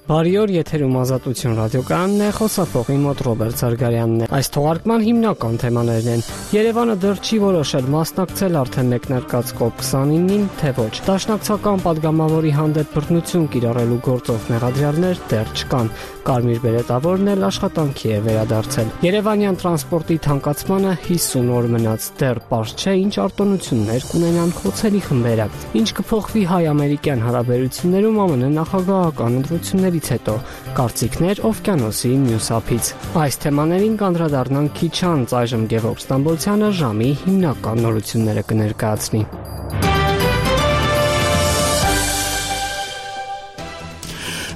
Բարի օր, եթերում Ազատություն ռադիոկայանն է, խոսափողի մոտ Ռոբերտ Զարգարյանն է։ Այս թողարկման հիմնական թեմաներն են. Երևանը դեռ չի որոշել մասնակցել արդեն մեկնարկած COP29-ին, թե ոչ։ Դաշնակցական падգամավորի հանդեպ բռնություն կիրառելու գործով մեղադրյալներ դեռ չկան։ Կարմիր բերետավորն էլ աշխատանքի է վերադարձել։ Երևանյան տրանսպորտի թանկացմանը 50 օր մնաց, դեռ պարզ չէ ինչ արտոնություններ կունենան խոցելի խմբերը։ Ինչ կփոխվի հայ-ամերիկյան հարաբերություններում ԱՄՆ նախագահական ընտրություններից հետո, կարծիքներ օվկիանոսի մյուս ափից։ Այս թեմաներին կանդրադառնանք քիչ անց, այժմ Գևորգ Ստամբոլցյանը ժամի հիմնական նորությունները կներկայացնի։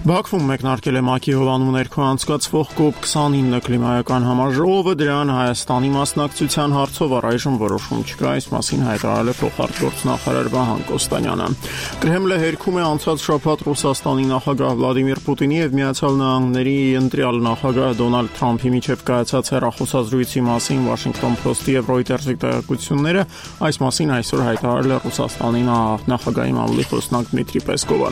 Բաքվում մեկնարկել է ՄԱԿ-ի հովանու ներքո անցկացվող COP29 կլիմայական համաժողովը, դրան Հայաստանի մասնակցության հարցով առայժմ որոշում չկա, այս մասին հայտարարել է փոխարտգործնախարար Վահան Կոստանյանը։ Կրեմլը հերքում է անցած շաբաթ Ռուսաստանի նախագահ Վլադիմիր Պուտինի եւ Միացյալ Նահանգների ընտրյալ նախագահ Դոնալդ Թրամփի միջև կայացած հեռախոսազրույցի մասին Washington Post-ի եւ Reuters-ի տեղեկությունները, այս մասին այսօր հայտարարել է Ռուսաստանի նախագահի մամուլի խոսնակ Դմիտրի Պեսկովը։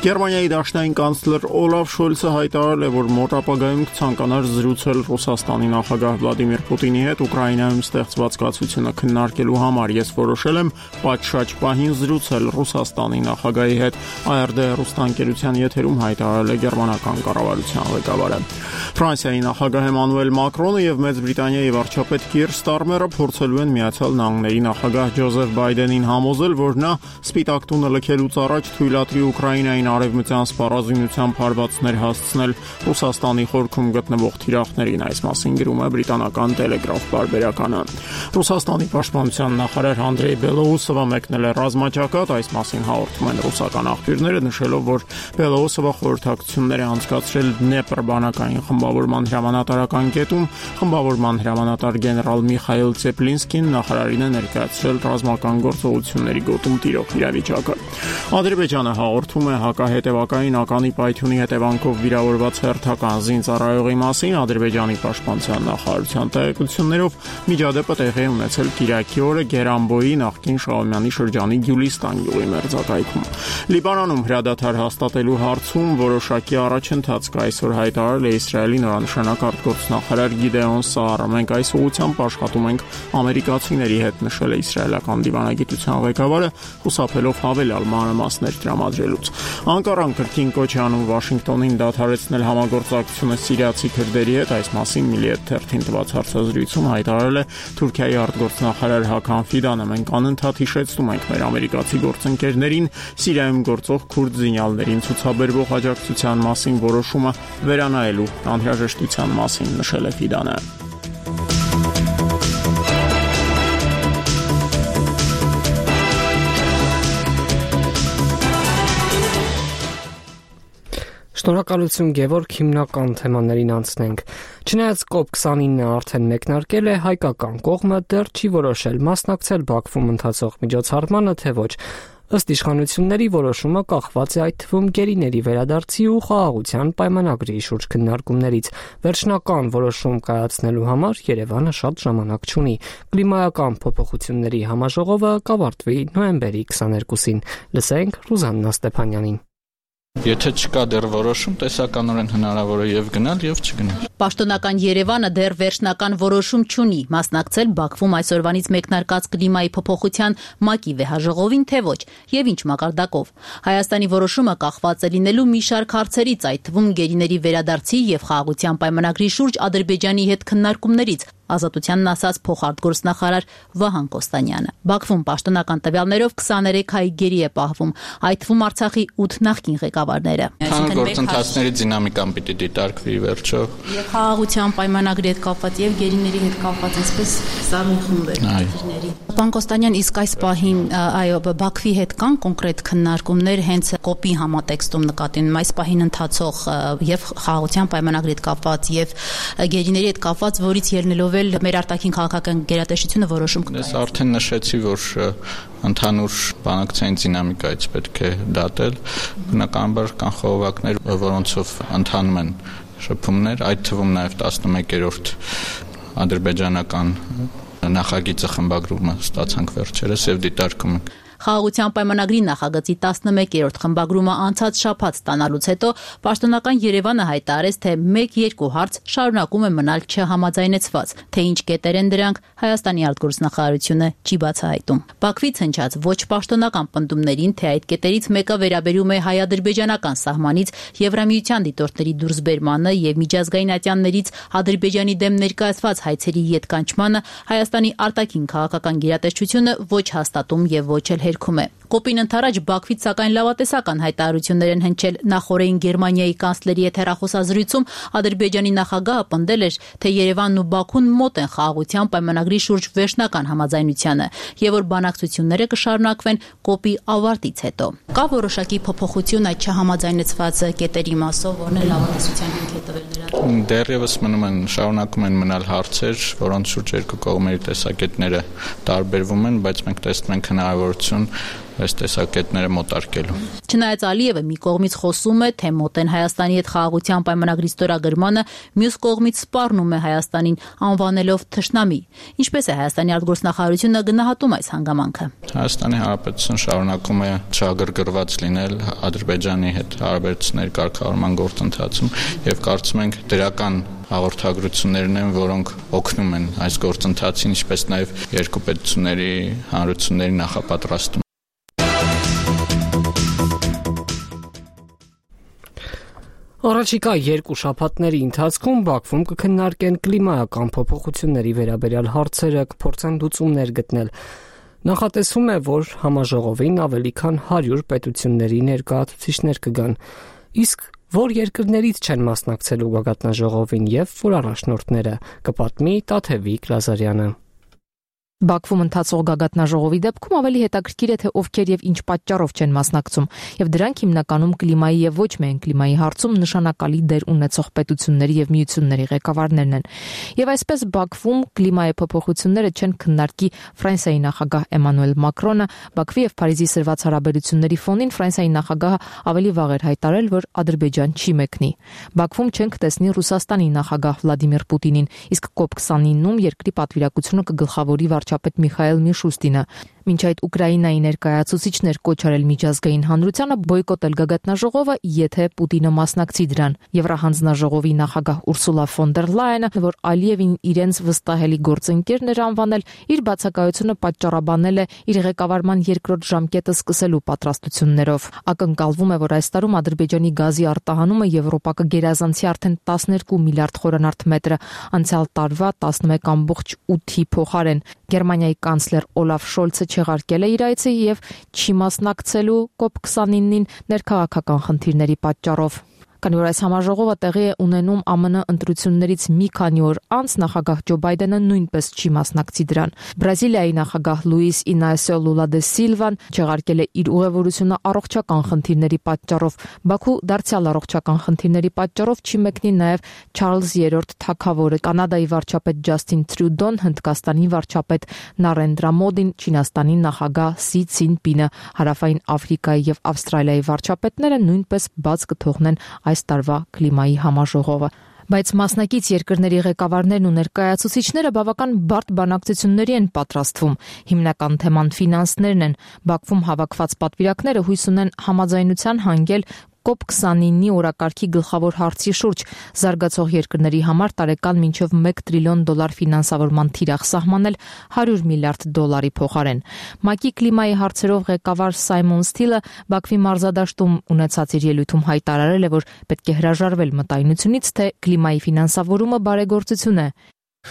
Գերմանիայի դաշնային կանցլեր Օլաֆ Շոլցը հայտարարել է, որ մոտ ապագայում կցանկանար զրուցել Ռուսաստանի նախագահ Վլադիմիր Պուտինի հետ Ուկրաինայում ստեղծված կացությունը քննարկելու համար։ Ես որոշել եմ պատշաճ պահին զրուցել Ռուսաստանի նախագահի հետ, ARD հեռուստաընկերության եթերում հայտարարել է գերմանական կառավարության ղեկավարը։ Ֆրանսիայի նախագահ Էմանուել Մակրոնը եւ Մեծ Բրիտանիայի վարչապետ Կիր Ստարմերը փորձելու են Միացյալ Նահանգների նախագահ Ջոզեֆ Բայդենին համոզել, որ նա Սպիտակ տունը լքելուց առաջ թույլատրի Ուկրաինային արևմտյան սպառազինությամբ հարվածներ հասցնել Ռուսաստանի խորքում գտնվող թիրախներին, այս մասին գրում է բրիտանական Տելեգրաֆ պարբերականը։ Ռուսաստանի պաշտպանության նախարար Անդրեյ Բելոուսովը մեկնել է ռազմաճակատ, այս մասին հաղորդում են ռուսական աղբյուրները, նշելով, որ Բելոուսովը խորհրդակցություններ է անցկացրել Դնեպր բանակային խմբավորման հրամանատարական կետում, խմբավորման հրամանատար գեներալ Միխայել Ցեպլինսկին նախարարին է ներկայացրել ռազմական գործողությունների գոտում տիրող իրավիճակը։ Ադրբեջանը հաղորդում է հակահետևակային ականի պայթյունի հետևանքով վիրավորված հերթական զինծառայողի մասին։ Ադրբեջանի պաշտպանության նախարարության տեղեկություններով միջադեպը տեղի է ունեցել Կիրակի օրը Գերանբոյի նախկին Շահումյանի շրջանի Գյուլիստան գյուղի մերձակայքում։ Լիբանանում հրադադար հաստատելու հարցում որոշակի առաջընթաց կա, այսօր հայտարարել է Իսրայելի նորանշանակ արտգործնախարար Գիդեոն Սաարը։ Մենք այս ուղղությամբ աշխատում ենք ամերիկացիների հետ, նշել է իսրայելական դիվանագիտության ղեկավարը, խուսափելով հավելյալ մանրամասներ տրամադրելուց։ Անկարան կրկին կոչ է անում Վաշինգտոնին դադարեցնել համագործակցությունը սիրիացի քրդերի հետ, այս մասին Միլիետ թերթին տված հարցազրույցում հայտարարել է Թուրքիայի արտգործնախարար Հական Ֆիդանը։ Մենք անընդհատ հիշեցնում ենք մեր ամերիկացի գործընկերներին Սիրիայում գործող քուրդ զինյալներին ցուցաբերվող աջակցության մասին որոշումը վերանայելու անհրաժեշտության մասին, նշել է Ֆիդանը։ Շնորհակալություն Գևորգ, հիմնական թեմաներին անցնենք։ Չնայած COP29-ը արդեն մեկնարկել է, հայկական կողմը դեռ չի որոշել մասնակցել Բաքվում ընթացող միջոցառմանը, թե ոչ։ Ըստ իշխանությունների որոշումը կախված է այդ թվում գերիների վերադարձի ու խաղաղության պայմանագրի շուրջ քննարկումներից։ Վերջնական որոշում կայացնելու համար Երևանը շատ ժամանակ չունի։ Կլիմայական փոփոխությունների համաժողովը կավարտվի նոյեմբերի 22-ին։ Լսենք Ռուզաննա Ստեփանյանին։ Եթե չկա դեռ որոշում, տեսականորեն հնարավոր է եւ գնալ, եւ չգնալ։ Պաշտոնական Երևանը դեռ վերջնական որոշում չունի մասնակցել Բաքվում այսօրվանից մեկնարկած կլիմայի փոփոխության ՄԱԿ-ի վեհաժողովին, թե ոչ, եւ ինչ մակարդակով։ Հայաստանի որոշումը կախված է լինելու մի շարք հարցերից, այդ թվում գերիների վերադարձի եւ խաղաղության պայմանագրի շուրջ Ադրբեջանի հետ քննարկումներից, Ազատությանն ասաց փոխարտգործնախարար Վահան Կոստանյանը։ Բաքվում պաշտոնական տվյալներով 23 հայ գերի է պահվում, այդ թվում Արցախի 8 նախկին ղեկավարները։ Գործընթացների դինամիկան պիտի դիտարկվի վերջո։ Եվ խաղաղության պայմանագրի հետ կապված եւ գերիների հետ կապված այսպես սարուն խմբեր։ Պարոն Կոստանյան, իսկ այս պահին Բաքվի հետ կան կոնկրետ քննարկումներ հենց կոպի համատեքստում նկատին այս պահին ընթացող եւ խաղաղության պայմանագրի հետ կապված եւ գերիների հետ կապված, որից ելնելով մեր արտաքին քաղաքական գերատեսչությունը որոշում կկայացնի։ Ես արդեն նշեցի, որ ընդհանուր բանակցային դինամիկայից պետք է դատել։ Բնականաբար կան խողովակներ, որոնցով ընթանում են շփումներ, այդ թվում նաև 11-րդ ադրբեջանական նախագիծը խմբագրումը ստացանք վերջերս եւ դիտարկում ենք։ Խաղաղության պայմանագրի նախագծի 11-րդ խմբագրումը անցած շաբաթ ստանալուց հետո պաշտոնական Երևանը հայտարարեց, թե 1-2 հարց շարունակում է մնալ չհամաձայնեցված, թե ինչ կետեր են դրանք, Հայաստանի արտգործնախարարությունը չի բացահայտում։ Բաքվից հնչած ոչ պաշտոնական պնդումներին, թե այդ կետերից մեկը վերաբերում է հայ-ադրբեջանական սահմանից Եվրամիության դիտորդների դուրսբերմանը եւ միջազգային ատյաններից Ադրբեջանի դեմ ներկայացված հայցերի ետկանչմանը, Հայաստանի արտաքին քաղաքական գերատեսչությունը ոչ հաստատում եւ ոչ էլ հերքում է։ Կոպին ընթരാճ Բաքվից սակայն լավատեսական հայտարարություններ են հնչել նախորդին Գերմանիայի կանցլերի հետ հեռախոսազրույցում Ադրբեջանի նախագահը պնդել էր, թե Երևանն ու Բաքուն մոտ են խաղաղության պայմանագրի շուրջ վերջնական համաձայնությանը եւ որ բանակցությունները կշարունակվեն կոպի ավարտից հետո։ Կա որոշակի փոփոխություն այդ չհամաձայնեցված կետերի մասով, որն է լավատեսության հիմք է տվել նրան։ Դեռևս շարունակում են մնալ հարցեր, որոնց շուրջ երկու կողմերի տեսակետները տարբերվում են, բայց մենք տեսնում ենք հնարավորություն այս տեսակետները մոտարկելու։ Չնայած Ալիևը մի կողմից խոսում է, թե մոտ են Հայաստանի հետ խաղաղության պայմանագրի ստորագրմանը, մյուս կողմից սպառնում է Հայաստանին անվանելով թշնամի։ Ինչպես է Հայաստանի արտգործնախարարությունը գնահատում այս հանգամանքը։ Հայաստանի Հանրապետությունը շարունակում է չագրգռված լինել Ադրբեջանի հետ հարաբերությունների կարգավորման գործընթացում եւ կարծում ենք դրական հաղորդագրություններն են, որոնք օգնում են այս գործընթացին, ինչպես նաեւ երկու պետությունների հանրությունների նախապատրաստում։ Առաջիկա 2 շաբաթների ընթացքում Բաքվում կքննարկեն կլիմայական փոփոխությունների վերաբերյալ հարցերը, կփորձեն լուծումներ գտնել։ Նախատեսվում է, որ համաժողովին ավելի քան 100 պետությունների ներկայացուցիչներ կգան, իսկ որ երկրներից չեն մասնակցելու գագաթնաժողովին եւ որ առաջնորդները, կպատմի Տաթևիկ Լազարյանը։ Բաքվում ընթացող գագաթնաժողովի դեպքում ավելի հետաքրքիր է, թե ովքեր եւ ինչ պատճառով չեն մասնակցում, եւ դրանք հիմնականում կլիմայի եւ ոչ միայն կլիմայի հարցում նշանակալի դեր ունեցող պետությունների եւ միությունների ղեկավարներն են։ Եվ այսպես Բաքվում կլիմայի փոփոխությունները չեն քննարկի Ֆրանսիայի նախագահ Էմանուել Մակրոնը, Բաքվի եւ Փարիզի սրված հարաբերությունների ֆոնին Ֆրանսիայի նախագահը ավելի վաղ էր հայտարարել, որ Ադրբեջան չի մեկնի։ Բաքվում չենք տեսնի Ռուսաստանի նախագահ Վլադիմիր Պուտինին, իսկ COP29-ում երկրի պատվիրակությունը կգլխավորի վարչապետ Միխայել Միշուստինը։ Մինչ այդ Ուկրաինայի ներկայացուցիչներ կոչ արել միջազգային հանրությանը բոյկոտել գագաթնաժողովը, եթե Պուտինը մասնակցի դրան։ Եվրահանձնաժողովի նախագահ Ուրսուլա ֆոն դեր Լայենը, որ Ալիևին իրենց վստահելի գործընկերն էր անվանել, իր բացակայությունը պատճառաբանել է իր ղեկավարման երկրորդ ժամկետը սկսելու պատրաստություններով։ Ակնկալվում է, որ այս տարում Ադրբեջանի գազի արտահանումը Եվրոպա կգերազանցի արդեն 12 միլիարդ խորանարդ մետրը, անցյալ տարվա 11.8-ի փոխարեն։ Գերմանիայի կանցլեր Օլաֆ Շոլցը չեղարկել է իր այցը եւ չի մասնակցելու COP29-ին ներքաղաքական խնդիրների պատճառով։ Քանի որ այս համաժողովը տեղի է ունենում ԱՄՆ ընտրություններից մի քանի օր անց, նախագահ Ջո Բայդենը նույնպես չի մասնակցի դրան։ Բրազիլիայի նախագահ Լուիս Ինասիո Լուլա դե Սիլվան չեղարկել է իր ուղևորությունը առողջական խնդիրների պատճառով։ Բաքու դարձյալ առողջական խնդիրների պատճառով չի մեկնի նաև Չարլզ III թագավորը, Կանադայի վարչապետ Ջասթին Տրյուդոն, Հնդկաստանի վարչապետ Նարենդրա Մոդին, Չինաստանի նախագահ Սի Ցինպինը, Հարավային Աֆրիկայի եւ Ավստրալիայի վարչապետները նույնպես բաց կթողնեն այս տարվա կլիմայի համաժողովը։ Բայց մասնակից երկրների ղեկավարներն ու ներկայացուցիչները բավական բարդ բանակցությունների են պատրաստվում։ Հիմնական թեման ֆինանսներն են։ Բաքվում հավաքված պատվիրակները հույս ունեն համաձայնության հանգել COP29-ի օրակարգի գլխավոր հարցի շուրջ զարգացող երկրների համար տարեկան մինչև $1 տրիլիոն ֆինանսավորման թիրախ սահմանել $100 միլիարդ փոխարեն։ ՄԱԿ-ի կլիմայի հարցերով ղեկավար Սայմոն Սթիլը Բաքվի մարզադաշտում ունեցած իր ելույթում հայտարարել է, որ պետք է հրաժարվել մտայնությունից, թե կլիմայի ֆինանսավորումը բարեգործություն է։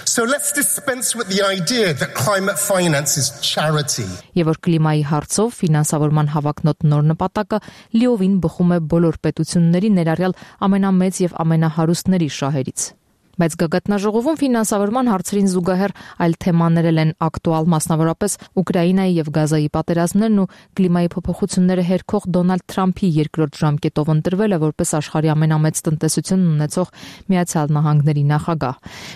So let's dispense with the idea that climate finance is charity. Եվ որ կլիմայի հարցով ֆինանսավորման հավակնոտ նոր նպատակը լիովին բխում է բոլոր պետությունների, ներառյալ ամենամեծ եւ ամենահարուստների շահերից։ Բայց գագաթնաժողովում ֆինանսավորման հարցերին զուգահեռ այլ թեմաներ են ակտուալ, մասնավորապես Ուկրաինայի եւ Գազայի պատերազմներն ու կլիմայի փոփոխությունները հերքող Դոնալդ Թրամփի երկրորդ ժամկետով ընտրվելը որպես աշխարհի ամենամեծ տնտեսությունն ունեցող Միացյալ Նահանգների նախագահ։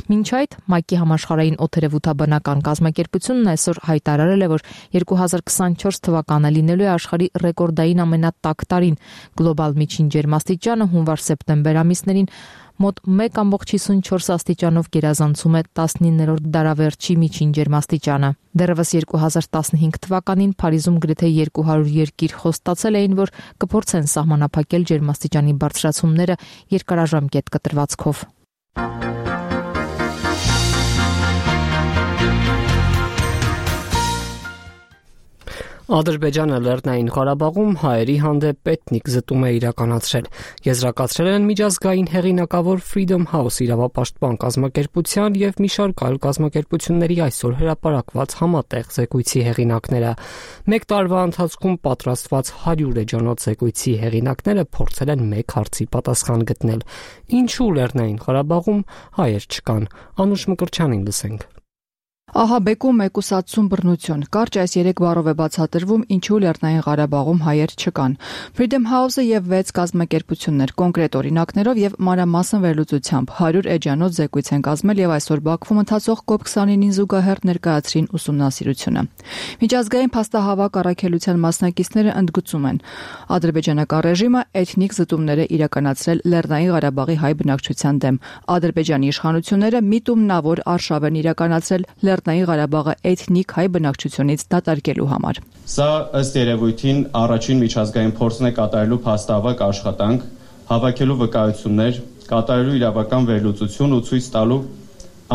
Մինչ այդ ՄԱԿ-ի համաշխարհային օդերևութաբանական կազմակերպությունն այսօր հայտարարել է, որ 2024 թվականը լինելու է աշխարհի ռեկորդային ամենատաք տարին։ Գլոբալ միջին ջերմաստիճանը հունվար-սեպտեմբեր ամիսներին մոտ 1.54 աստիճանով գերազանցում է 19-րդ դարավերջի միջին ջերմաստիճանը։ Դեռևս 2015 թվականին Փարիզում գրեթե 200 երկիր խոստացել էին, որ կփորձեն սահմանափակել ջերմաստիճանի բարձրացումները երկարաժամկետ կտրվածքով։ Ադրբեջանը Լեռնային Ղարաբաղում հայերի հանդեպ էթնիկ զտում է իրականացրել։ Եզրակացրել են միջազգային հեղինակավոր Freedom House իրավապաշտպան կազմակերպության եւ մի շարք այլ կազմակերպությունների այսօր հրապարակված համատեղ զեկույցի հեղինակները։ Մեկ տարվա ընթացքում պատրաստված 100 էջանոց զեկույցի հեղինակները փորձել են մեկ հարցի պատասխան գտնել. Ինչու Լեռնային Ղարաբաղում հայեր չկան։ Անուշ Մկրտչյանին լսենք։ Ահաբեկում, մեկուսացում, բռնություն։ Կարճ այս 3 բառով է բացատրվում, ինչու Լեռնային Ղարաբաղում հայեր չկան։ Freedom House-ը եւ 6 կազմակերպություններ կոնկրետ օրինակներով եւ մանրամասն վերլուծությամբ 100 էջանոց զեկույց են կազմել եւ այսօր Բաքվում ընթացող COP29-ին զուգահեռ ներկայացրին ուսումնասիրությունը։ Միջազգային փաստահավաք առաքելության մասնակիցները ընդգծում են, ադրբեջանական ռեժիմը էթնիկ զտումներ է իրականացրել Լեռնային Ղարաբաղի հայ բնակչության դեմ։ Ադրբեջանի իշխանությունները միտումնավոր արշավ են իրականացրել Լեռնային Ղարաբաղը էթնիկ հայ բնակչությունից դատարկելու համար։ Սա ըստ երևույթին առաջին միջազգային փորձն է կատարելու փաստահավաք աշխատանք, հավաքելու վկայություններ, կատարելու իրավական վերլուծություն ու ցույց տալու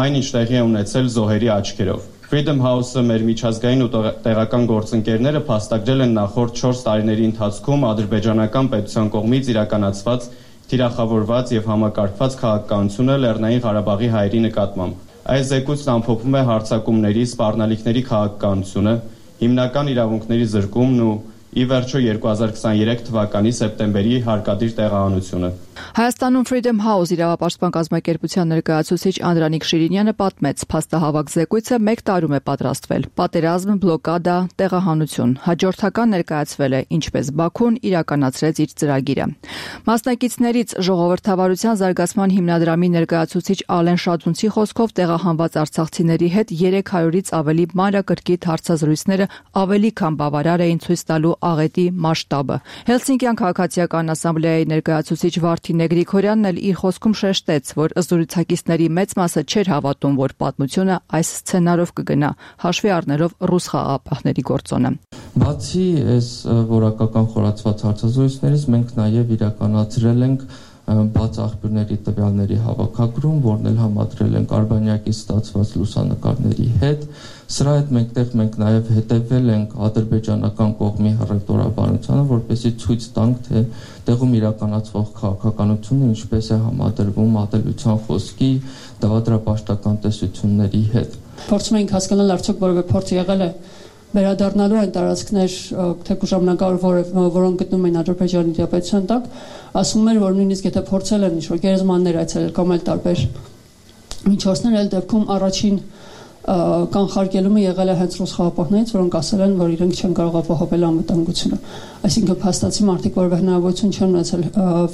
այն, ինչ տեղի է ունեցել զոհերի աչքերով։ Freedom House-ը մեր միջազգային ու տեղական գործընկերները փաստագրել են նախորդ 4 տարիների ընթացքում ադրբեջանական պետության կողմից իրականացված թիրախավորված եւ համակարգված քաղաքականությունը Լեռնային Ղարաբաղի հայերի նկատմամբ։ Այս զեկույցն ամփոփում է հարձակումների, սպառնալիքների քաղաքականությունը, հիմնական իրավունքների զրկումն ու ի վերջո 2023 թվականի սեպտեմբերի հարկադիր տեղահանությունը։ Հայաստանում Freedom House իրավապաշտպան կազմակերպության ներկայացուցիչ Անդրանիկ Շիրինյանը պատմեց, փաստահավաք զեկույցը 1 տարում է պատրաստվել։ Պատերազմ, բլոկադա, տեղահանություն։ Հաջորդական ներկայացվել է, ինչպես Բաքուն իրականացրեց իր ծրագիրը։ Մասնակիցներից ժողովրդավարության զարգացման հիմնադրամի ներկայացուցիչ Ալեն Շադունցի խոսքով տեղահանված արցախցիների հետ 300-ից ավելի մանրակրկիտ հարցազրույցները ավելի քան բավարար էին ցույց տալու աղետի մասշտաբը։ Հելսինկյան քաղաքացիական ասամբլեայի ներկայացուցիչ Վարդինե Գրիգորյանն էլ իր խոսքում շեշտեց, որ զրուցակիցների մեծ մասը չէր հավատում, որ պատմությունը այս սցենարով կգնա, հաշվի առնելով ռուս խաղաղապահների գործոնը։ Բացի այս որակական խորացված հարցազրույցներից մենք նաև իրականացրել ենք բաց աղբյուրների տվյալների հավաքագրում, որն էլ համադրել ենք Արբանյակից ստացված լուսանկարների հետ։ Սրա հետ մենք նաև հետևել ենք ադրբեջանական կողմի հռետորաբանությանը, որպեսզի ցույց տանք, թե տեղում իրականացվող քաղաքականությունը ինչպես է համադրվում ատելության խոսքի, դավադրապաշտական տեսությունների հետ։ Փորձում ենք հասկանալ, արդյոք որևէ փորձ եղել է վերադառնալու այն տարածքներ, թեկուզ ժամանակավոր, որոնք գտնում են Ադրբեջանի դիապետության տակ, ասում էր, որ նույնիսկ եթե փորձել են ինչ-որ գերեզմաններ այցելել կամ էլ տարբեր միջոցներ, այլ դեպքում առաջին կանխարգելումը եղել է հենց ռուս խաղաղապահներից, որոնք ասել են, որ իրենք չեն կարող ապահովել անվտանգությունը։ Այսինքն փաստացի մարդիկ որևէ հնարավորություն չեն ունեցել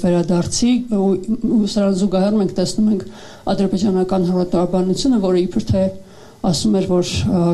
վերադարձի ու սրան զուգահեռ մենք տեսնում ենք ադրբեջանական հռետորաբանությունը, որը իբր թե ասում էր, որ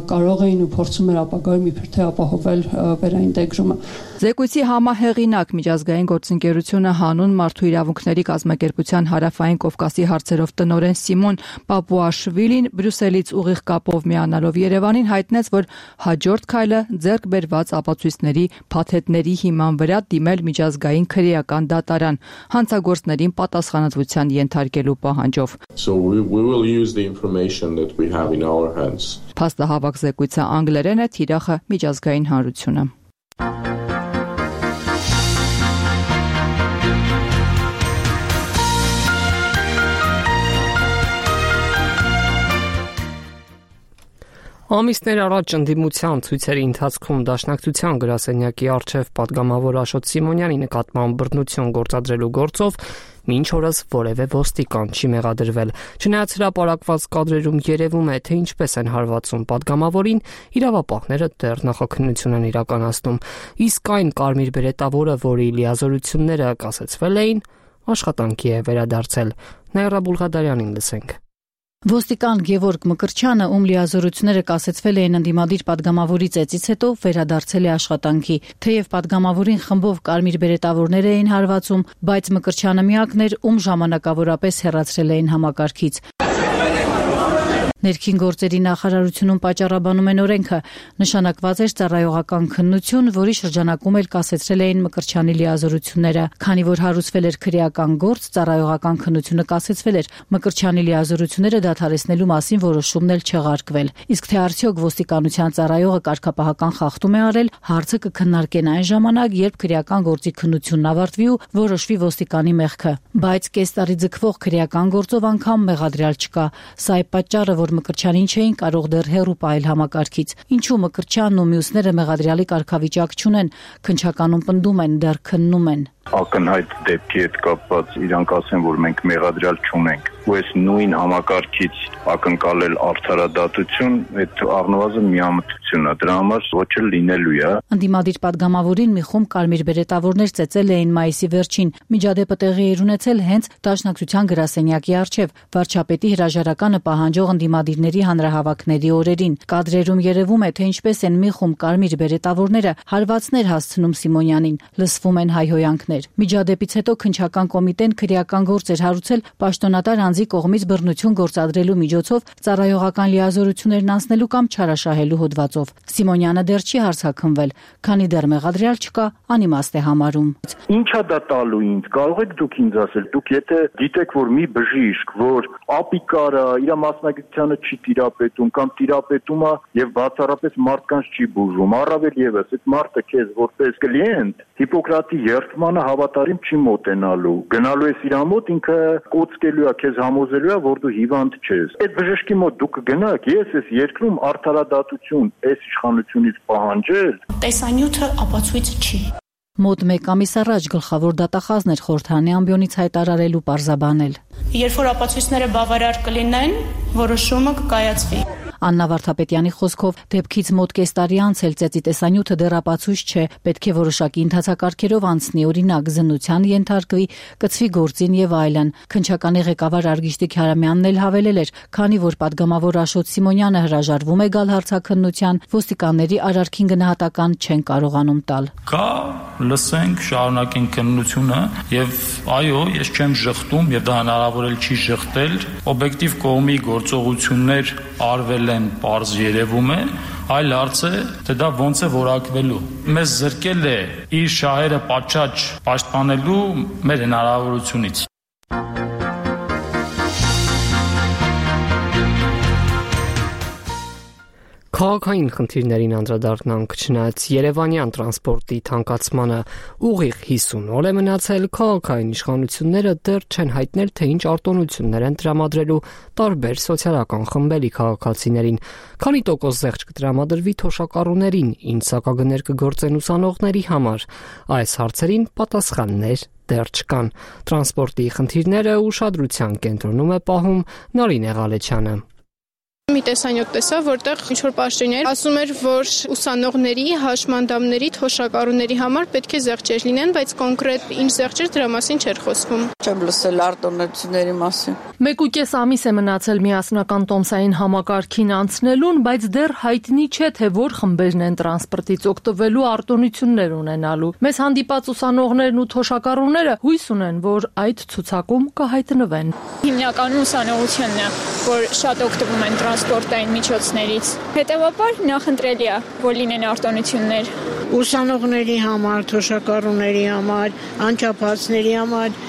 կարող էին ու փորձում էր ապագայում իբր թե ապահովել վերաինտեգրումը։ Զեկույցի համահեղինակ միջազգային գործընկերությունը հանուն մարդու իրավունքների կազմակերպության հարավային Կովկասի հարցերով տնօրեն Սիմոն Պապուաշվիլին Բրյուսելից ուղիղ կապով միանալով Երևանին հայտնեց, որ հաջորդ քայլը ձեռք բերված ապացույցների փաթեթների հիման վրա դիմել միջազգային քրեական դատարան հանցագործներին պատասխանատվության ենթարկելու պահանջով։ So we will use the information that we have in our hands. Փաստահավաք զեկույցը անգլերեն է, թիրախը միջազգային հանրությունը։ Ամիսներ առաջ ընդդիմության ցույցերի ընթացքում Դաշնակցության գրասենյակի առջև պատգամավոր Աշոտ Սիմոնյանի նկատմամբ բռնություն գործադրելու գործով մինչ օրս որևէ ոստիկան չի մեղադրվել։ Չնայած հրապարակված կադրերում երևում է, թե ինչպես են հարվածում պատգամավորին, իրավապահները դեռ նախաքննություն են իրականացնում։ Իսկ այն կարմիր բերետավորը, որի լիազորությունները կասեցվել էին, աշխատանքի է վերադարձել։ Նաիրա Բուլղադարյանին լսենք։ Ոստիկան Գևորգ Մկրտչյանը, ում լիազորությունները կասեցվել էին ընդդիմադիր падգամավորի ծեծից հետո, վերադարձել է աշխատանքի։ Թեև падգամավորին խմբով կարմիր բերետավորներ էին հարվածում, բայց Մկրտչյանը միակն էր, ում ժամանակավորապես հեռացրել էին համակարգից։ Ներքին գործերի նախարարությունում պատճառաբանում են օրենքը, նշանակված էր ծառայողական քննություն, որի շրջանակում էլ կասեցրել էին Մկրտչյանի լիազորությունները։ Քանի որ հարուցվել էր քրեական գործ, ծառայողական քննությունը կասեցվել էր, Մկրտչյանի լիազորությունները դադարեցնելու մասին որոշումն էլ չեղարկվել։ Իսկ թե արդյոք ոստիկանության ծառայողը կարգապահական խախտում է արել, հարցը կքննարկեն այն ժամանակ, երբ քրեական գործի քննությունն ավարտվի ու որոշվի ոստիկանի մեղքը։ Բայց կես տարի ձգվող քրեական գործով անգամ մեղադրյալ չկա։ Սա է պատճառը, որ Մկրտչյանին չէին կարող դեռ հեռու պահել համակարգից։ Ինչու Մկրտչյանն ու մյուսները մեղադրյալի կարգավիճակ չունեն, քննչականում պնդում են, դեռ քննում են։ Ակնհայտ դեպքի հետ կապված իրանք ասեն, որ մենք մեղադրյալ չունենք, ու այս նույն համակարգից ակնկալել արդարադատություն, այդ առնվազն միամտություն է, դրա համար ոչ էլ լինելու է։ Ընդդիմադիր падգամավորին մի խումբ կարմիր բերետավորներ ծեծել էին մայիսի վերջին։ Միջադեպը տեղի էր ունեցել հենց Դաշնակցության գրասենյակի առջև, վարչապետի հրաժարականը պահանջող ընդդիմադիրների հանրահավաքների օրերին։ Կադրերում երևում է, թե ինչպես են մի խումբ կարմիր բերետավորները հարվածներ հասցնում Սիմոնյանին, լսվում են հայհոյանքներ։ Միջադեպից հետո քննչական կոմիտեն քրեական գործ էր հարուցել պաշտոնատար անձի կողմից բռնություն գործադրելու միջոցով ծառայողական լիազորություններն անցնելու կամ չարաշահելու հոդվածով։ Սիմոնյանը դեռ չի հարցաքննվել, քանի դեռ մեղադրյալ չկա, անիմաստ է համարում։ Ինչա դա տալու ինձ, կարող եք դուք ինձ ասել, դուք եթե գիտեք, որ մի բժիշկ, որ ապիկարը իր մասնագիտությանը չի տիրապետում կամ տիրապետում է եւ բացառապես մարդկանց չի բուժում, առավել եւս այդ մարդը քեզ որպես կլիենտ Հիպոկրատի երդմանը հավատարիմ չի մոտենալու։ Գնալու ես իր մոտ, ինքը կոծկելու է, քեզ համոզելու է, որ դու հիվանդ չես։ Այդ բժշկի մոտ դուք գնաք, ես այս երկրում արդարադատություն այս իշխանությունից պահանջել։ Տեսանյութը ապացույց չի։ Մոտ 1 ամիս առաջ գլխավոր դատախազն էր խորհրդարանի ամբիոնից հայտարարել ու պարզաբանել։ Երբ որ ապացույցները բավարար կլինեն, որոշումը կկայացվի։ Աննա Վարդապետյանի խոսքով դեպքից մոտ կես տարի անց էլ ծեծի տեսանյութը դեռ ապացույց չէ, պետք է որոշակի ընթացակարգերով անցնի, օրինակ զննության ենթարկվի, կցվի գործին եւ այլն։ Քննչականի ղեկավար Արգիշտիկ Հարամյանն էլ հավելել էր, քանի որ падգամավոր Աշոտ Սիմոնյանը հրաժարվում է գալ հարցաքննության, ոստիկանների արարքին գնահատական չեն կարողանում տալ։ Կա լսենք, շարունակենք քննությունը եւ այո, ես չեմ ժխտում եւ դա հնարավոր էլ չի ժխտել, օբյեկտիվ կողմի գործողություններ արվել են, պարզ երևում է, այլ հարց է, թե դա ոնց է որակվելու։ Մեզ զրկել է իր շահերը պատշաճ պաշտպանելու մեր հնարավորությունից։ Քաղաքային խնդիրներին անդրադառնանք, չնայած Երևանյան տրանսպորտի թանկացմանը ուղիղ 50 օր է մնացել, քաղաքային իշխանությունները դեռ չեն հայտնել, թե ինչ արտոնություններ են տրամադրելու տարբեր սոցիալական խմբերի քաղաքացիներին, քանի տոկոս զեղչ կտրամադրվի թոշակառուներին, ինչ սակագներ կգործեն ուսանողների համար։ Այս հարցերին պատասխաններ դեռ չկան։ Տրանսպորտի խնդիրները ուշադրության կենտրոնում է պահում Նարինե Ղալեչյանը։ Մի տեսանյութ տեսա, որտեղ ինչ-որ պաշտոնյա ասում էր, որ ուսանողների, հաշմանդամների, թոշակառուների համար պետք է զեղչեր լինեն, բայց կոնկրետ ինչ զեղչեր դրա մասին չէր խոսվում։ Չեմ լսել արտոնությունների մասին։ 1.5 ամիս է մնացել միասնական տոմսային համակարգին անցնելուն, բայց դեռ հայտնի չէ, թե որ խմբերն են տրանսպորտից օգտվելու արտոնություններ ունենալու։ Մեզ հանդիպած ուսանողներն ու թոշակառուները հույս ունեն, որ այդ ցուցակում կհայտնվեն։ Հիմնականում ուսանողությունն է, որ շատ օգտվում են տրանսպորտային միջոցներից։ Հետևաբար նախընտրելի է, որ լինեն արտոնություններ։ Ուսանողների համար, թոշակառուների համար, անչափածների համար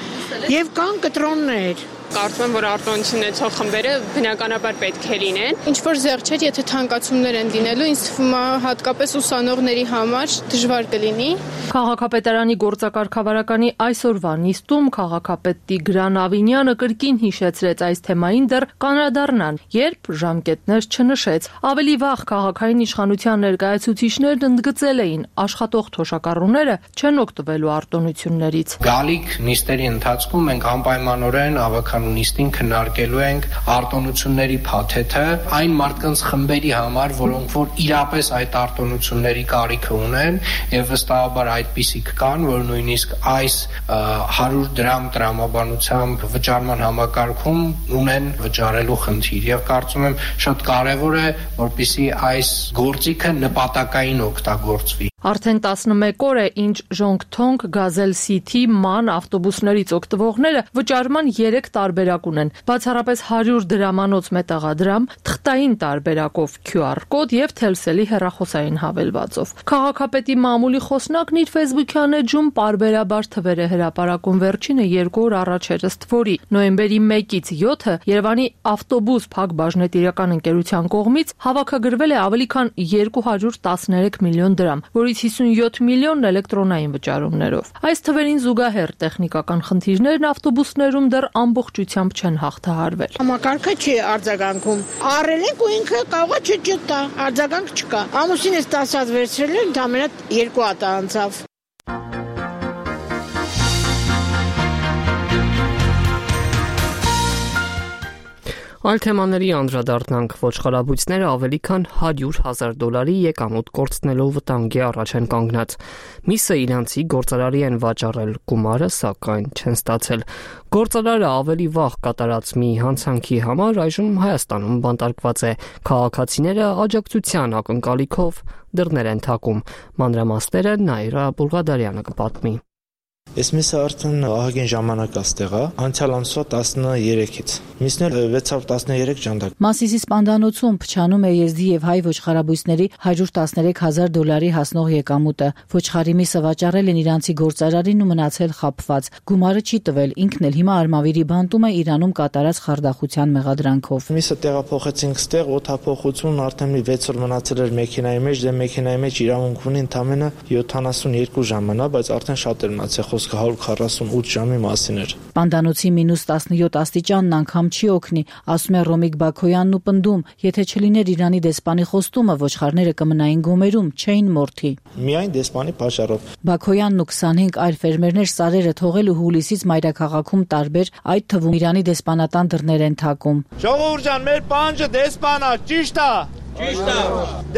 եւ կան կտրոններ։ Կարծում եմ, որ արտոնություն ունեցող խմբերը բնականաբար պետք է լինեն։ Ինչ որ զեղչեր, եթե թանկացումներ են լինելու, ինձ թվում է հատկապես ուսանողների համար դժվար կլինի։ Քաղաքապետարանի գործակարգավարականի այսօրվա նիստում քաղաքապետ Տիգրան Ավինյանը կրկին հիշեցրեց այս թեմային դեռ կանրադառնան, երբ ժամկետներ չնշեց։ Ավելի վաղ քաղաքային իշխանության ներկայացուցիչներն ընդգծել էին, աշխատող թոշակառուները չեն օգտվելու արտոնություններից։ Գալիք նիստերի ընթացքում մենք անպայմանորեն ավագ նախագահական նիստին քննարկելու ենք արտոնությունների փաթեթը այն մարդկանց խմբերի համար, որոնք որ իրապես այդ արտոնությունների կարիքը ունեն եւ վստահաբար այդպիսիք կան, որ նույնիսկ այս 100 դրամ տրամաբանությամբ վճարման համակարգում ունեն վճարելու խնդիր եւ կարծում եմ շատ կարեւոր է, որպեսզի այս գործիքը նպատակային օգտագործվի։ Արդեն 11 օր է, ինչ Ժոնգթոնգ, Գազել Սիթի, ման ավտոբուսներից օգտվողները վճարման 3 տարբերակ ունեն։ Բացառապես 100 դրամանոց մետաղադրամ, թղթային տարբերակով QR կոդ եւ Telcel-ի հեռախոսային հավելվածով։ Քաղաքապետի մամուլի խոսնակն իր Facebook-յան էջում պարբերաբար թվեր է հրապարակում, վերջինը 2 օր առաջ էր ըստ որի նոյեմբերի 1-ից 7-ը Երևանի ավտոբուս Փակ բաժնետիրական ընկերության կողմից հավաքագրվել է ավելի քան 213 միլիոն դրամ, որից 57 միլիոնն էլեկտրոնային վճարումներով։ Այս թվերին զուգահեռ տեխնիկական խնդիրներն ավտոբուսներում դեռ ամբողջությամբ չեն հաղթահարվել։ Համակարգը չի արձագանքում։ Առել ենք ու ինքը կարող է չճտա, արձագանք չկա։ Ամուսինս 10 հատ վերցրել էր, ընդամենը 2 հատ անցավ։ Այլ թեմաների անդրադառնանք, ոչխարաբույծները ավելի քան $100,000 եկամուտ կորցնելով վտանգի առաջ են կանգնած։ Միսը իրանցի գործարարի են վաճառել գումարը, սակայն չեն ստացել։ Գործարարը ավելի վաղ կատարած մի հանցանքի համար այժմ Հայաստանում բանտարկված է։ Քաղաքացիները աջակցության ակնկալիքով դռներ են թակում։ Մանրամասները Նաիրա Բուլղադարյանը կպատմի։ Այս միսը արդեն ահագին ժամանակ աստեղա, անցյալ ամսվա 13-ից։ Միսն էլ 613 ժանդակ։ Մասիսի սպանդանոցում փչանում է եզդի եւ հայ ոչխարաբույսների $113,000 հասնող եկամուտը։ Ոչխարի միսը վաճառել են իրանցի գործարարին ու մնացել խաբված։ Գումարը չի տվել, ինքն էլ հիմա Արմավիրի բանտում է Իրանում կատարած խարդախության մեղադրանքով։ Միսը տեղափոխեցինք ստեղ, օդափոխություն արդեն 6 օր մնացել էր մեքենայի մեջ, դե մեքենայի մեջ իրավունք ունի ընդամենը 72 ժամանա, բայց արդեն շատ էր մնացել, խոսքը 148 ժամի մասին էր։ Սպանդանոցի -17 աստիճանն անգամ չի օգնի, ասում է Ռոմիկ Բաքոյանն ու պնդում, եթե չլիներ Իրանի դեսպանի խոստումը, ոչխարները կմնային գոմերում, չէին մորթի։ Միայն դեսպանի պատճառով։ Բաքոյանն ու 25 այլ ֆերմերներ սարերը թողել ու հուլիսից մայրաքաղաքում տարբեր, այդ թվում Իրանի դեսպանատան դռներ են թակում։ Ժողովուրդ ջան, մեր պանջը դեսպանա, ճիշտ է։ Ճիշտ է։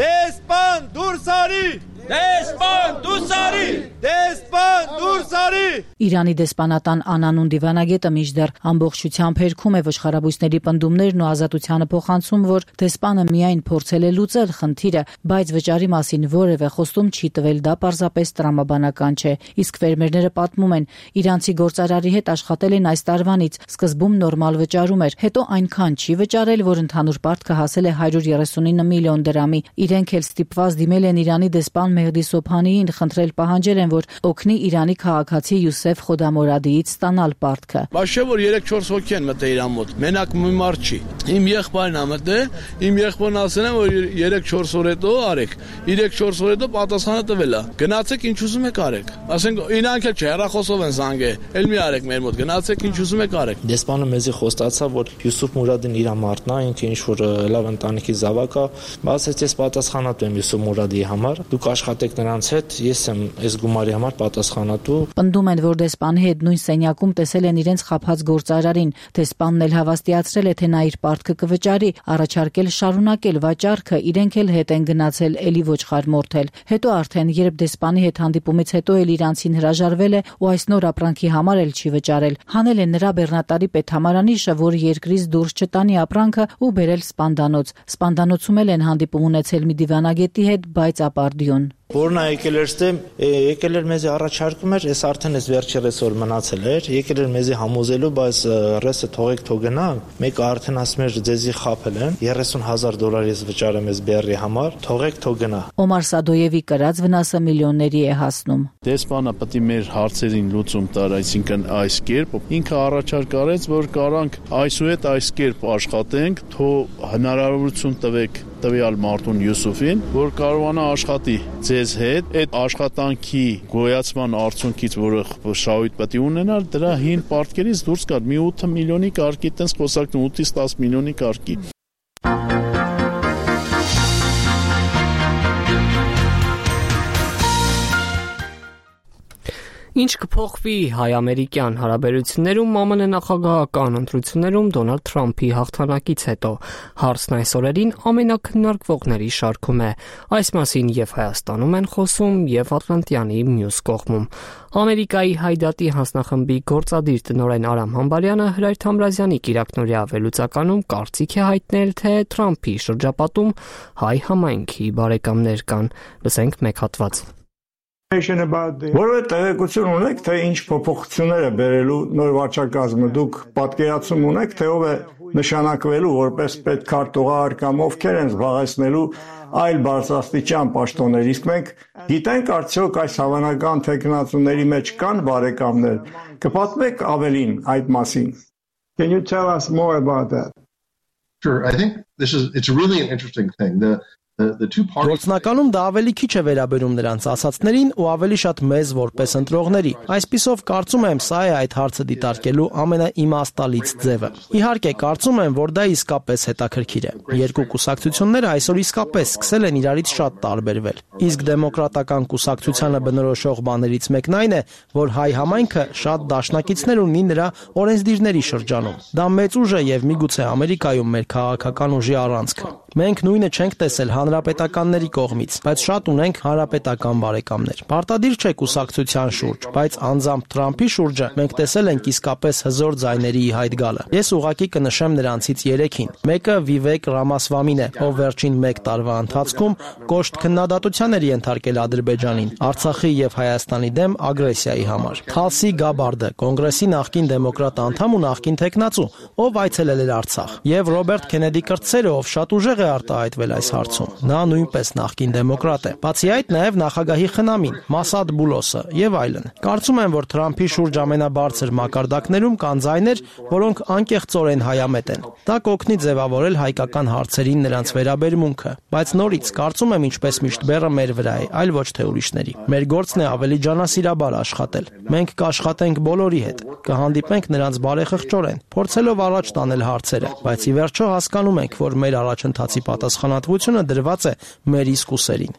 Դեսպան դուրս արի։ Դեսպան դուրս արի։ Դեսպան դուրս արի։ Իրանի դեսպանատան անանուն դիվանագետը մինչդեռ ամբողջությամբ հերքում է ոչխարաբույսների պնդումներն ու ազատությանը փոխանցում, որ դեսպանը միայն փորձել է լուծել խնդիրը, բայց վճարի մասին որևէ խոստում չի տվել, դա պարզապես տրամաբանական չէ։ Իսկ ֆերմերները պատմում են, իրանցի գործարարի հետ աշխատել են այս տարվանից, սկզբում նորմալ վճարում էր, հետո այնքան չի վճարել, որ ընդհանուր պարտքը հասել է 139 միլիոն դրամի։ Իրենք էլ ստիպված դիմել են Իրանի դեսպան Մեհդի Սոփանիին, խնդրել պահանջել են, որ օգնի Իրանի քաղաքացի Յուսեֆ Խոդամորադիից ստանալ պարտքը։ Բայց չէ որ 3-4 հոգի են մտել իրան մոտ, մենակ մի մարդ չի։ Իմ եղբայրն ա մտել, իմ եղբայրն ասել են, որ 3-4 օր հետո արեք, 3-4 օր հետո պատասխանը տվել է։ Գնացեք ինչ ուզում եք արեք։ Ասենք իրանք էլ չէ, հեռախոսով են զանգել, էլ մի արեք մեր մոտ, գնացեք ինչ ուզում եք արեք։ Դեսպանը մեզի խոստացավ, որ Յուսուֆ Մուրադին իր մարդն է, ինքը ինչ որ լավ ընտանիքի զավակ է, բայց ես պատասխանատու եմ Յուսուֆ Մուրադի համար։ Դուք աշխատեք նրանց հետ, ես եմ այս գումարի համար պատասխանատու։ Պնդում են, որ դեսպանի հետ նույն սենյակում տեսել են իրենց խաբած գործարարին։ Դեսպանն էլ հավաստիացրել է, թե նա իր պարտքը կվճարի, առաջարկել շարունակել վաճառքը, իրենք էլ հետ են գնացել էլի ոչխար մորթել։ Հետո արդեն, երբ դեսպանի հետ հանդիպումից հետո էլ իրանցին հրաժարվել է ու այս նոր ապրանքի համար էլ չի վճարել։ Հանել են նրա բեռնատարի պետհամարանիշը, որ երկրից դուրս չտանի ապրանքը ու բերել սպանդանոց։ Սպանդանոցում էլ են հանդիպում ունեցել մի դիվանագետի հետ, բայց ապարդյուն։ Որն է եկել էր ստեմ, եկել էր մեզի առաջարկում էր, ես արդեն ես վերջի ռեսոր մնացել էր, եկել էր մեզի համոզելու, բայց ռեսը թողեք թող գնա, մեկը արդեն ասում էր ձեզի խաբել են, $30,000 ես վճարեմ ես բեռի համար, թողեք թող գնա։ Օմար Սադոյևի կրած վնասը միլիոնների է հասնում։ Դեսպանը պետք է մեր հարցերին լուծում տար, այսինքն այս կերպ, ինքը առաջարկ արեց, որ կարանք այսուհետ այս կերպ աշխատենք, թող հնարավորություն տվեք տվյալ մարդուն Յուսուֆին, որ կարողանա աշխատի ձեզ հետ, այդ աշխատանքի գոյացման արդյունքից, որը շահույթ պետք է ունենալ, դրա հին պարտքերից դուրս գալ մի 8 միլիոնի կարգի, տենց խոսակն 8-ից 10 միլիոնի կարգի։ Ինչ կփոխվի հայ-ամերիկյան հարաբերություններում ԱՄՆ նախագահական ընտրություններում Դոնալդ Թրամփի հաղթանակից հետո, հարցն այս օրերին ամենակննարկվողների շարքում է։ Այս մասին եւ Հայաստանում են խոսում եւ Ատլանտյանի մյուս կողմում։ Ամերիկայի Հայդատի հանձնախմբի գործադիր տնօրեն Արամ Համբարյանը Հրայր Թամրազյանի կիրակնօրյա ավելուծականում կարծիք է հայտնել, թե Թրամփի շրջապատում հայ համայնքի բարեկամներ կան։ Լսենք մեկ հատված։ Որովհետև տեղեկություն ունեք, թե ինչ փոփոխություններ է բերելու նոր վարչակազմը, դուք պատկերացում ունեք, թե ով է նշանակվելու որպես պետքարտուղար կամ ովքեր են զբաղեցնելու այլ բարձրաստիճան պաշտոններ, իսկ մենք գիտենք արդյոք այս հավանական թեկնածուների մեջ կան բարեկամներ, կպատմեք ավելին այդ մասին։ Can you tell us more about that? Sure, I think it's really an interesting thing. Գործնականում դա ավելի քիչ է վերաբերում նրանց ասացներին ու ավելի շատ մեզ որպես ընտրողների։ Այսպիսով կարծում եմ սա է այդ հարցը դիտարկելու ամենաիմաստալից ձևը։ Իհարկե կարծում եմ, որ դա իսկապես հետաքրքիր է։ Երկու կուսակցությունները այսօր իսկապես սկսել են իրարից շատ տարբերվել։ Իսկ դեմոկրատական կուսակցությանը բնորոշող բաներից մեկն այն է, որ հայ համայնքը շատ դաշնակիցներ ունի նրա օրենսդիրների շրջանում։ Դա մեծ ուժ է եւ միգուցե Ամերիկայում մեր քաղաքական ուժի առանցքը։ Մենք նույնը չենք տեսել հանրապետականների կողմից, բայց շատ ունենք հանրապետական բարեկամներ։ Պարտադիր չէ կուսակցության շուրջ, բայց անձամբ Թրամփի շուրջը մենք տեսել ենք իսկապես հզոր ձայների ի հայտ գալը։ Ես ուղղակի կնշեմ նրանցից 3-ին։ Մեկը Վիվեք Ռամասվամին է, ով վերջին 1 տարվա ընթացքում կոշտ քննադատության էր ենթարկել Ադրբեջանին, Արցախի եւ Հայաստանի դեմ ագրեսիայի համար։ Թալսի Գաբարդը, կոնգրեսի նախկին դեմոկրատ անդամ ու նախկին տեխնացու, ով այցելել էր Արցախ, եւ Ռոբերտ Քենեդի կրտսերը, ով շատ ուժեղ է արտահայտվել այս հարցում։ Նա նույնպես նախկին դեմոկրատ է։ Բացի այդ, նաև նախագահի խնամին, Մասադ Բուլոսը եւ այլն։ Կարծում եմ, որ Թրամփի շուրջ ամենաբարձր մակարդակներում կան ձայներ, որոնք անկեղծորեն հայամետ են։ Դա կօգնի ձևավորել հայկական հարցերին նրանց վերաբերմունքը, բայց նորից կարծում եմ, ինչպես միշտ բեռը մեր վրա է, այլ ոչ թե ուրիշների։ Մեր գործն է ավելի ջանասիրաբար աշխատել։ Մենք կաշխատենք բոլորի հետ, կհանդիպենք նրանց բարեխղճորեն, փորձելով առաջ տանել հարցերը, բայց ի վերջո հասկանում ենք, որ մեր առաջընթացի պատասխանատվությունը դրված է մեր իսկ ուսերին։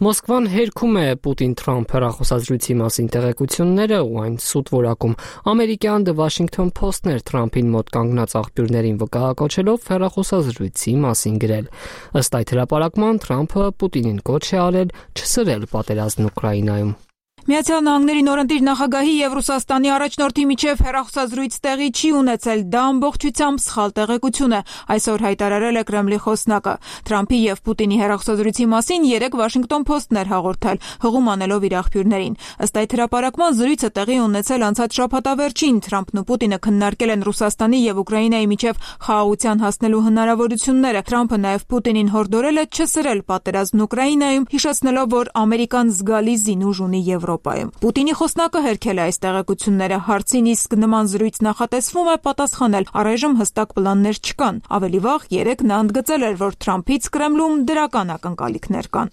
Մոսկվան հերքում է Պուտին-Թրամփ հեռախոսազրույցի մասին տեղեկությունները ու այն սուտ որակում։ Ամերիկյան The Washington Post-ն էր Թրամփին մոտ կանգնած աղբյուրներին վկայակոչելով հեռախոսազրույցի մասին գրել։ Ըստ այդ հրապարակման Թրամփը Պուտինին կոչ է արել չսրել պատերազմն Ուկրաինայում։ Միացյալ Նահանգների նորընտիր նախագահի եւ Ռուսաստանի առաջնորդի միջև հեռախոսազրույց տեղի չի ունեցել, դա ամբողջությամբ սխալ տեղեկություն է, այսօր հայտարարել է Կրեմլի խոսնակը։ Թրամփի եւ Պուտինի հեռախոսազրույցի մասին 3 Washington Post-ն էր հաղորդել, հղում անելով իր աղբյուրներին։ Ըստ այդ հրապարակման զրույցը տեղի ունեցել անցած շաբաթավերջին, Թրամփն ու Պուտինը քննարկել են Ռուսաստանի եւ Ուկրաինայի միջև խաղաղության հասնելու հնարավորությունները։ Թրամփը նաեւ Պուտինին հորդորել է չսրել պատերազմն Ուկրաինայում, հիշեցնելով, որ Ամերիկան զգալի զինուժ ունի Եվրոպայում։ Պուտինի խոսնակը հերքել է այս տեղեկությունները, հարցին իսկ նման զրույց նախատեսվում է պատասխանել, առայժմ հստակ պլաններ չկան։ Ավելի վաղ 3 նա ընդգծել էր, որ Թրամփից Կրեմլում դրական ակնկալիքներ կան։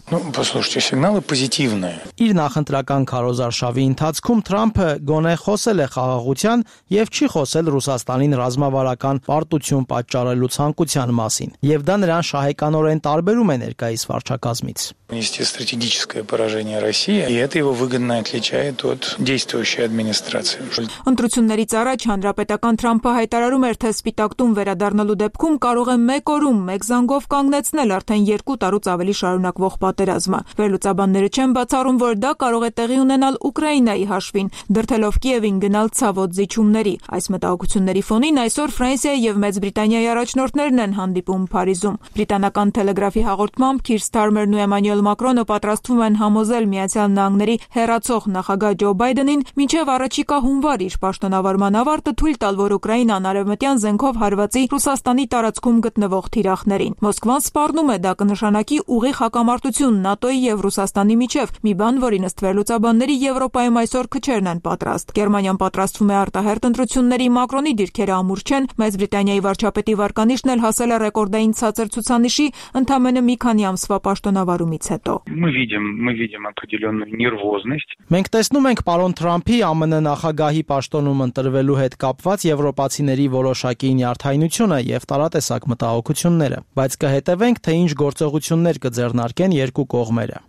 Իր նախընտրական քարոզարշավի ընթացքում Թրամփը գոնե խոսել է խաղաղության եւ չի խոսել Ռուսաստանին ռազմավարական պարտություն պատճառելու ցանկության մասին, եւ դա նրան շահեկանորեն տարբերում է ներկայիս վարչակազմից։ Стратегическое поражение России, и это его выгодно отличает от действующей администрации. Ընտրություններից առաջ հանրապետական Թրամփը հայտարարում էր, թե Սպիտակ տուն վերադառնալու դեպքում կարող է 1 օրում 1 զանգով կանգնեցնել արդեն 2 տարուց ավելի շարունակվող պատերազմը։ Վերլուծաբանները չեն բացառում, որ դա կարող է տեղի ունենալ Ուկրաինայի հաշվին, դրդելով Կիևին գնալ ցավոտ զիջումների։ Այս մտահոգությունների ֆոնին այսօր Ֆրանսիայի եւ Մեծ Բրիտանիայի առաջնորդներն են հանդիպում Փարիզում։ Բրիտանական Թելեգրաֆի հաղորդմամբ Քիր Սթարմերն ու Էմանուել Մակրոնը պատրաստվում են համոզել Միացյալ Նահանգների հեռացող նախագահ Ջո Բայդենին մինչև առաջիկա հունվար իր պաշտոնավարման ավարտը թույլ տալ, որ Ուկրաինան արևմտյան զենքով հարվածի Ռուսաստանի տարածքում գտնվող թիրախներին։ Մոսկվան սպառնում է դա կնշանակի ուղիղ հակամարտություն ՆԱՏՕ-ի եւ Ռուսաստանի միջև, մի բան, որին ըստ վերլուծաբանների Եվրոպայում այսօր քչերն են պատրաստ։ Գերմանիան պատրաստվում է արտահերթ ընտրությունների, Մակրոնի դիրքերը ամուր չեն, Մեծ Բրիտանիայի վարչապետի վարկանիշն էլ հասել է ռեկորդային ցածր ցուցանիշի ընդամենը մի քանի ամսվա պաշտոնավարումից հետո։ Мы видим определенную нервозность. есть. Մենք տեսնում ենք պարոն Թրամփի ԱՄՆ նախագահի պաշտոնում ընտրվելու հետ կապված եվրոպացիների որոշակի նյարդայնությունը եւ տարատեսակ մտահոգությունները, բայց կհետևենք, թե ինչ գործողություններ կձեռնարկեն երկու կողմերը։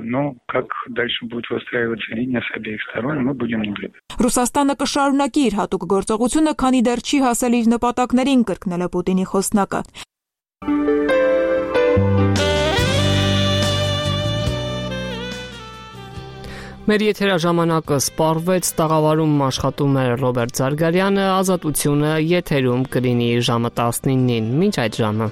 Но как дальше будет выстраиваться линия с обеих сторон, мы будем наблюдать. Ռուսաստանը կշարունակի իր հատուկ գործողությունը, քանի դեռ չի հասել իր նպատակներին, կրկնել է Պուտինի խոսնակը։ Մեր եթերաժամանակը սպառվեց, տաղավարում աշխատում էր Ռոբերտ Զարգարյանը, Ազատությունը եթերում կլինի ժամը 19-ին, մինչ այդ ժամը։